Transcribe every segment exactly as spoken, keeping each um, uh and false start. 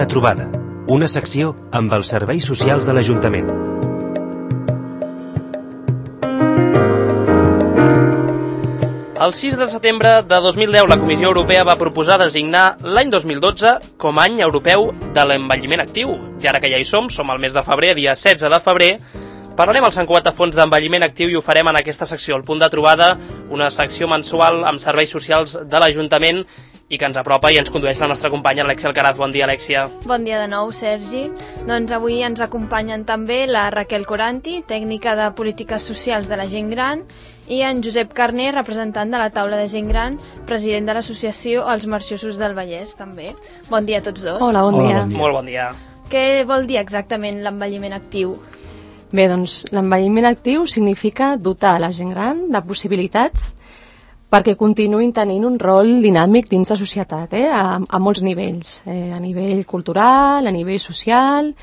de trobada, una secció amb els serveis socials de l'Ajuntament. El sis de setembre de dos mil deu la Comissió Europea va proposar designar l'any dos mil dotze com a any europeu de l'envelliment actiu. I ara que ja hi som, som al mes de febrer, dia setze de febrer, parlarem al Sant Cugat a fons d'envelliment actiu i ho farem en aquesta secció, el punt de trobada, una secció mensual amb serveis socials de l'Ajuntament i que ens apropa i ens condueix la nostra companya Alexia Alcaraz. Bon dia, Alexia. Bon dia de nou, Sergi. Doncs avui ens acompanyen també la Raquel Coranti, tècnica de polítiques socials de la gent gran, i en Josep Carner, representant de la taula de gent gran, president de l'associació Els Marxosos del Vallès, també. Bon dia a tots dos. Hola, bon dia. Hola, bon dia. Molt bon dia. Què vol dir exactament l'envelliment actiu? Bé, doncs l'envelliment actiu significa dotar la gent gran de possibilitats perquè continuïn tenint un rol dinàmic dins la societat, eh? a, a molts nivells, eh? a nivell cultural, a nivell social,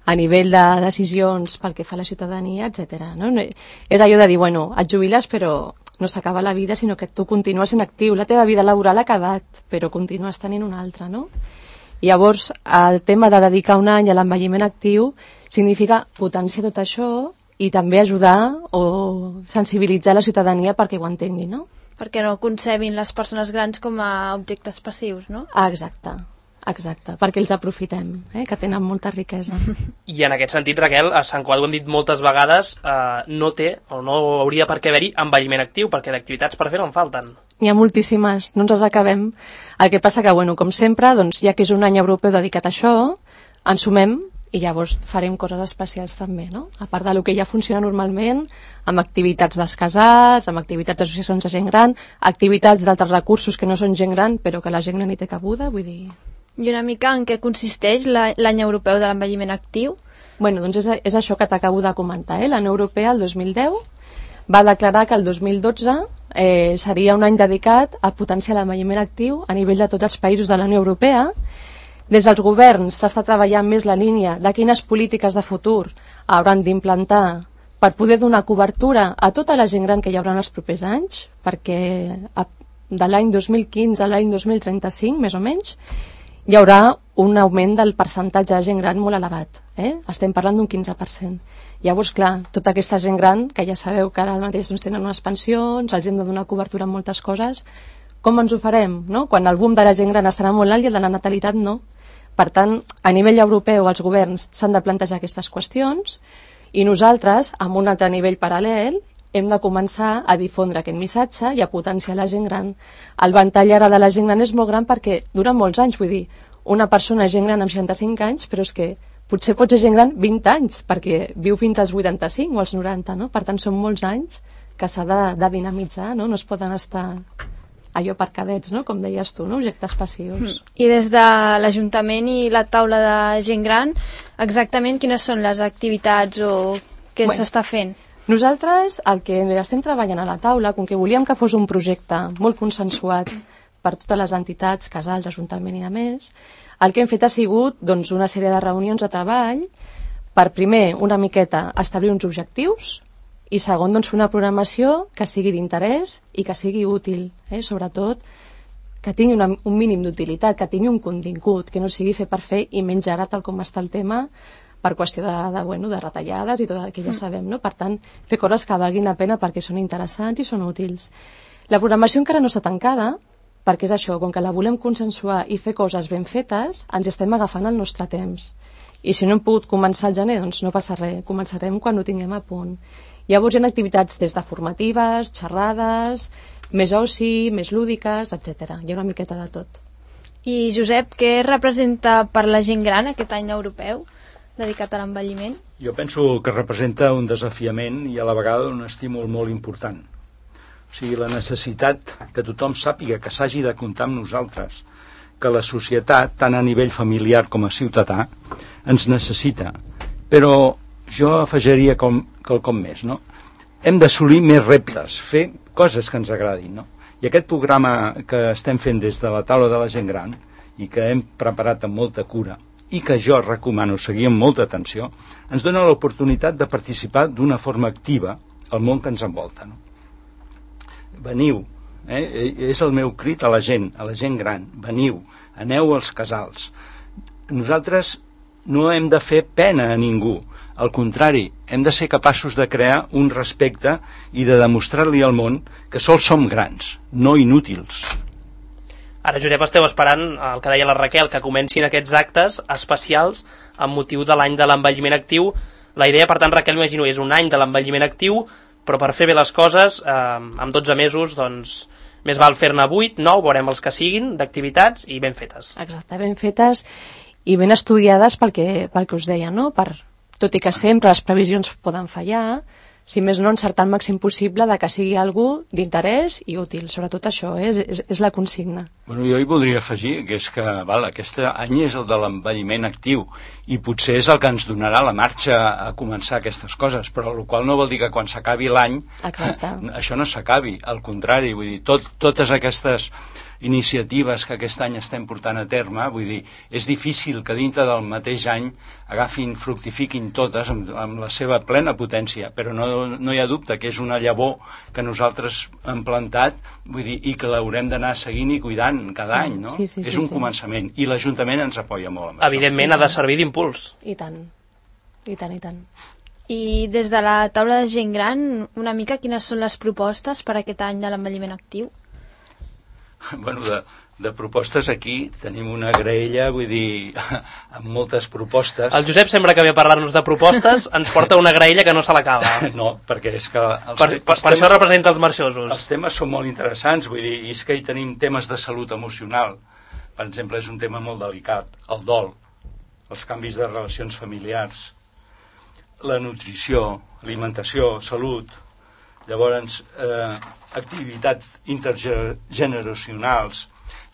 a nivell de decisions pel que fa a la ciutadania, etcètera. No? És allò de dir, bueno, et jubiles però no s'acaba la vida, sinó que tu continues sent actiu, la teva vida laboral ha acabat, però continues tenint una altra, no? I llavors, el tema de dedicar un any a l'envelliment actiu significa potenciar tot això i també ajudar o sensibilitzar la ciutadania perquè ho entengui, no? Perquè no concebin les persones grans com a objectes passius, no? Ah, exacte, exacte, perquè els aprofitem, eh, que tenen molta riquesa. I en aquest sentit, Raquel, a Sant Cugat ho hem dit moltes vegades, eh, no té o no hauria per què haver-hi envelliment actiu, perquè d'activitats per fer no en falten. N'hi ha moltíssimes, no ens les acabem. El que passa que, bueno, com sempre, doncs, ja que és un any europeu dedicat a això, ens sumem i llavors farem coses especials també, no? A part del que ja funciona normalment, amb activitats dels casals, amb activitats d'associacions de gent gran, activitats d'altres recursos que no són gent gran, però que la gent gran hi té cabuda, vull dir... I una mica en què consisteix l'any europeu de l'envelliment actiu? Bueno, doncs és, és això que t'acabo de comentar, eh? La Unió Europea, el dos mil deu, va declarar que el dos mil dotze eh, seria un any dedicat a potenciar l'envelliment actiu a nivell de tots els països de la Unió Europea. Des dels governs s'està treballant més la línia de quines polítiques de futur hauran d'implantar per poder donar cobertura a tota la gent gran que hi haurà en els propers anys, perquè de l'any dos mil quinze a l'any dos mil trenta-cinc, més o menys, hi haurà un augment del percentatge de gent gran molt elevat. Eh? Estem parlant d'un quinze per cent. Llavors, clar, tota aquesta gent gran, que ja sabeu que ara mateix doncs, tenen unes pensions, els hem de donar cobertura en moltes coses, com ens ho farem? No? Quan el boom de la gent gran estarà molt alt i el de la natalitat no. Per tant, a nivell europeu, els governs s'han de plantejar aquestes qüestions i nosaltres, amb un altre nivell paral·lel, hem de començar a difondre aquest missatge i a potenciar la gent gran. El ventall ara de la gent gran és molt gran perquè dura molts anys, vull dir, una persona és gent gran amb seixanta-cinc anys, però és que potser pot ser gent gran vint anys, perquè viu fins als vuitanta-cinc o als noranta, no? Per tant, són molts anys que s'ha de, de dinamitzar, no? No es poden estar... allò per cadets, no? Com deies tu, no? Objectes passius. I des de l'Ajuntament i la taula de gent gran, exactament quines són les activitats o què bueno, s'està fent? Nosaltres el que estem treballant a la taula, com que volíem que fos un projecte molt consensuat per totes les entitats, casals, ajuntament i de més, el que hem fet ha sigut doncs, una sèrie de reunions de treball per, primer, una miqueta establir uns objectius, i segon, doncs, fer una programació que sigui d'interès i que sigui útil, eh? Sobretot que tingui una, un mínim d'utilitat, que tingui un contingut, que no sigui fer per fer i menys ara tal com està el tema per qüestió de, de, bueno, de retallades i tot el que ja sabem, no? Per tant, fer coses que valguin la pena perquè són interessants i són útils. La programació encara no està tancada perquè és això, com que la volem consensuar i fer coses ben fetes, ens estem agafant el nostre temps. I si no hem pogut començar al gener, doncs no passa res, començarem quan ho tinguem a punt. Llavors hi ha activitats des de formatives, xerrades, més oci, més lúdiques, etcètera. Hi ha una miqueta de tot. I Josep, què representa per la gent gran aquest any europeu dedicat a l'envelliment? Jo penso que representa un desafiament i a la vegada un estímul molt important. O sigui, la necessitat que tothom sàpiga que s'hagi de comptar amb nosaltres, que la societat, tant a nivell familiar com a ciutadà, ens necessita. Però jo afegiria com, quelcom més, no? Hem d'assolir més reptes, fer coses que ens agradin, no? I aquest programa que estem fent des de la taula de la gent gran i que hem preparat amb molta cura i que jo recomano seguir amb molta atenció, ens dona l'oportunitat de participar d'una forma activa al món que ens envolta, no? Veniu, eh? És el meu crit a la gent, a la gent gran, veniu, aneu als casals, nosaltres no hem de fer pena a ningú. Al contrari, hem de ser capaços de crear un respecte i de demostrar-li al món que sols som grans, no inútils. Ara, Josep, esteu esperant el que deia la Raquel, que comencin aquests actes especials amb motiu de l'any de l'envelliment actiu. La idea, per tant, Raquel, imagino, és un any de l'envelliment actiu, però per fer bé les coses, eh, amb dotze mesos, doncs, més val fer-ne vuit, nou, veurem els que siguin, d'activitats i ben fetes. Exacte, ben fetes i ben estudiades pel que, pel que us deia, no? Per, tot i que sempre les previsions poden fallar, si més no encertar el màxim possible de que sigui algú d'interès i útil. Sobretot això, eh? és, és, és la consigna. Bueno, jo hi voldria afegir que és que val, aquest any és el de l'envelliment actiu i potser és el que ens donarà la marxa a començar aquestes coses, però el qual no vol dir que quan s'acabi l'any això no s'acabi, al contrari, vull dir, tot, totes aquestes iniciatives que aquest any estem portant a terme, vull dir, és difícil que dintre del mateix any agafin, fructifiquin totes amb, amb la seva plena potència, però no, no hi ha dubte que és una llavor que nosaltres hem plantat, vull dir, i que l'haurem d'anar seguint i cuidant cada sí, any, no? Sí, sí, és sí, un sí. començament, i l'Ajuntament ens apoya molt amb Evidentment això. ha de servir d'impuls. I tant, i tant, i tant. I des de la taula de gent gran, una mica quines són les propostes per aquest any de l'envelliment actiu? Bueno, de, de propostes aquí tenim una graella, vull dir, amb moltes propostes. El Josep sembla que ve a parlar-nos de propostes, ens porta una graella que no se l'acaba. No, perquè és que... Els per, per, per això representa els marxosos. Els temes són molt interessants, vull dir, i és que hi tenim temes de salut emocional. Per exemple, és un tema molt delicat, el dol, els canvis de relacions familiars, la nutrició, alimentació, salut, llavors eh, activitats intergeneracionals,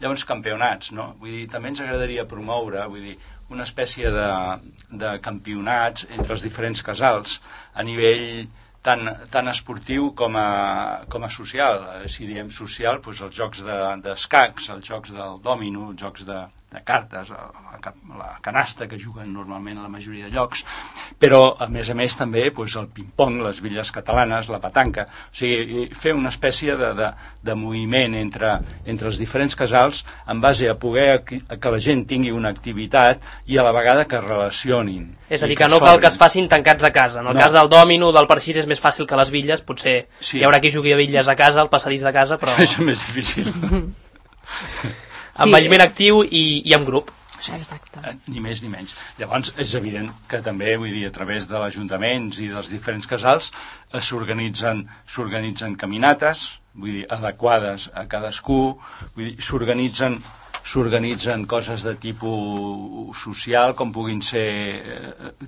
llavors campionats, no? Vull dir, també ens agradaria promoure, vull dir, una espècie de, de campionats entre els diferents casals a nivell tant, tant esportiu com a, com a social. Si diem social, doncs els jocs d'escacs, de, els jocs del dòmino, els jocs de, de cartes, la, la canasta que juguen normalment a la majoria de llocs, però a més a més també doncs, el ping-pong, les bitlles catalanes, la petanca, o sigui, fer una espècie de, de, de moviment entre, entre els diferents casals en base a poder a que la gent tingui una activitat i a la vegada que relacionin. És a dir, que, que no cal que es facin tancats a casa. En el no. cas del dòmino, del parxís, és més fàcil que les bitlles, potser sí. Hi haurà qui jugui a bitlles a casa, al passadís de casa, però... És més difícil. Envelliment sí. actiu i, i en grup. Sí. Exacte. Ni més ni menys. Llavors és evident que també, vull dir, a través de l'ajuntaments i dels diferents casals s'organitzen s'organitzen caminates, vull dir, adequades a cadascú, vull dir, s'organitzen s'organitzen coses de tipus social, com puguin ser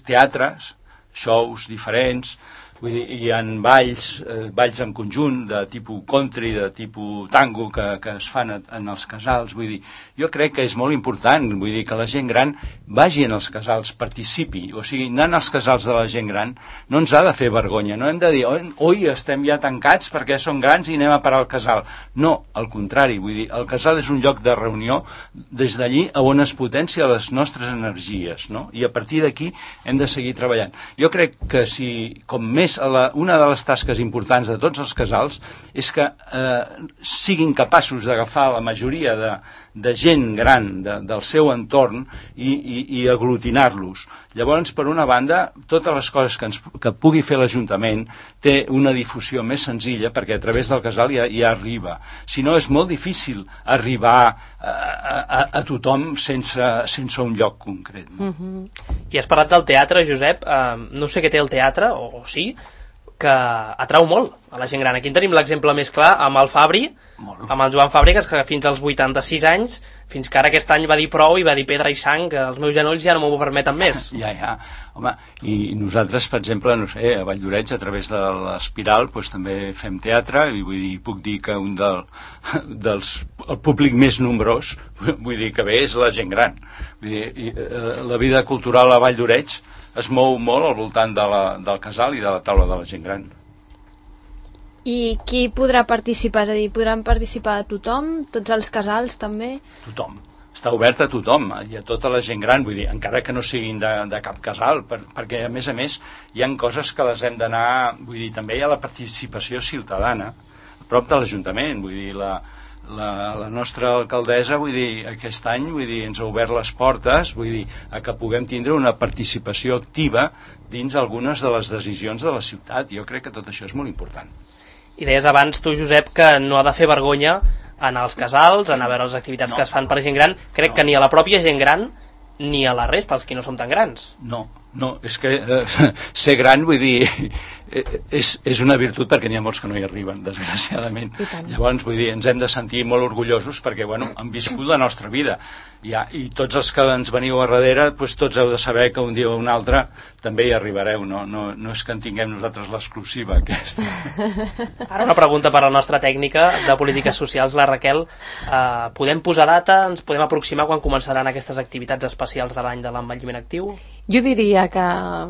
teatres, shows diferents, vull dir, hi ha balls, eh, balls en conjunt de tipus country, de tipus tango que, que es fan en els casals, vull dir, jo crec que és molt important, vull dir, que la gent gran vagi en els casals, participi, o sigui, anant als casals de la gent gran no ens ha de fer vergonya, no hem de dir oi, estem ja tancats perquè som grans i anem a parar al casal, no, al contrari, vull dir, el casal és un lloc de reunió des d'allí on es potencia les nostres energies, no? I a partir d'aquí hem de seguir treballant. Jo crec que si, com més La, una de les tasques importants de tots els casals és que eh, siguin capaços d'agafar la majoria de, de gent gran de, del seu entorn i, i, i aglutinar-los. Llavors, per una banda, totes les coses que, ens, que pugui fer l'Ajuntament té una difusió més senzilla perquè a través del casal ja, ja arriba. Si no, és molt difícil arribar a, a, a tothom sense, sense un lloc concret. No? Mm-hmm. I has parlat del teatre, Josep. Uh, no sé què té el teatre, o, o sí, que atrau molt a la gent gran. Aquí en tenim l'exemple més clar amb el Fabri, molt. Amb el Joan Fàbregas, que fins als vuitanta-sis anys, fins que ara aquest any va dir prou i va dir pedra i sang, que els meus genolls ja no m'ho permeten més. Ja, ja. Home, i nosaltres, per exemple, no sé, a Valldoreix, a través de l'Espiral, doncs, també fem teatre, i vull dir, puc dir que un del, dels, el públic més nombrós, vull dir que bé, és la gent gran. Vull dir, i, eh, la vida cultural a Valldoreix es mou molt al voltant de la, del casal i de la taula de la gent gran. I qui podrà participar? És a dir, podran participar tothom? Tots els casals també? Tothom. Està obert a tothom i a tota la gent gran, vull dir, encara que no siguin de, de cap casal, per, perquè a més a més hi ha coses que les hem d'anar, vull dir, també hi ha la participació ciutadana a prop de l'Ajuntament, vull dir, la, la, la nostra alcaldessa, vull dir, aquest any, vull dir, ens ha obert les portes, vull dir, a que puguem tindre una participació activa dins algunes de les decisions de la ciutat. Jo crec que tot això és molt important. I deies abans tu, Josep, que no ha de fer vergonya anar als casals, anar a veure les activitats no. que es fan per gent gran. Crec no. que ni a la pròpia gent gran ni a la resta, els que no som tan grans. No, no, és que eh, ser gran, vull dir, eh, és, és una virtut perquè n'hi ha molts que no hi arriben, desgraciadament. Llavors, vull dir, ens hem de sentir molt orgullosos perquè, bueno, han viscut la nostra vida. Ja, i tots els que ens veniu a darrere, doncs tots heu de saber que un dia o un altre també hi arribareu, no, no, no és que en tinguem nosaltres l'exclusiva aquesta. Ara una pregunta per a la nostra tècnica de polítiques socials, la Raquel. Eh, podem posar data, ens podem aproximar quan començaran aquestes activitats especials de l'any de l'envelliment actiu? Jo diria que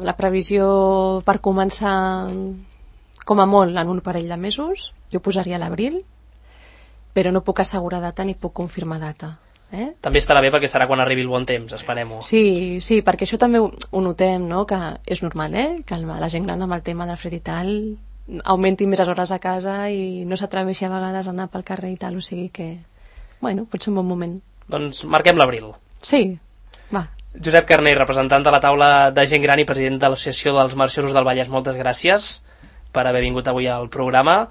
la previsió per començar com a molt en un parell de mesos, jo posaria l'abril, però no puc assegurar data ni puc confirmar data. Eh? També estarà bé perquè serà quan arribi el bon temps, esperem-ho. Sí, sí, perquè això també ho, ho notem, no? Que és normal, eh? Que la gent gran amb el tema del fred i tal augmenti més les hores a casa i no s'atreveixi a vegades a anar pel carrer i tal, o sigui que, bueno, pot ser un bon moment. Doncs marquem l'abril. Sí, va. Josep Carner, representant de la taula de gent gran i president de l'Associació dels Marxosos del Vallès, moltes gràcies per haver vingut avui al programa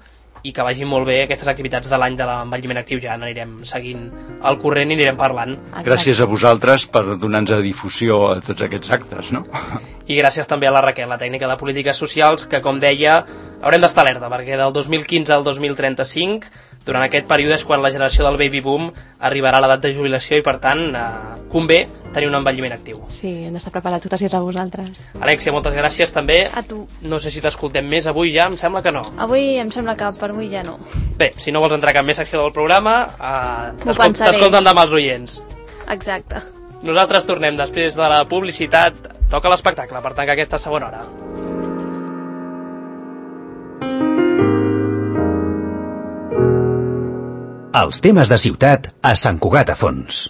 i que vagin molt bé aquestes activitats de l'any de l'envelliment actiu. Ja n'anirem seguint al corrent i anirem parlant. Exacte. Gràcies a vosaltres per donar-nos difusió a tots aquests actes, no? I gràcies també a la Raquel, la tècnica de polítiques socials, que com deia haurem d'estar alerta perquè del dos mil quinze al dos mil trenta-cinc, durant aquest període és quan la generació del baby boom arribarà a l'edat de jubilació i per tant eh, convé tenir un envelliment actiu. Sí, hem d'estar preparats. Gràcies a vosaltres. Alexia, moltes gràcies també. A tu. No sé si t'escoltem més avui ja, em sembla que no. Avui em sembla que per avui ja no. Bé, si no vols entrar a cap més secció del programa, eh, t'escolten demà els oients. Exacte. Nosaltres tornem després de la publicitat. Toca l'espectacle, per tant que aquesta segona hora. Els temes de ciutat a Sant Cugat a Fons.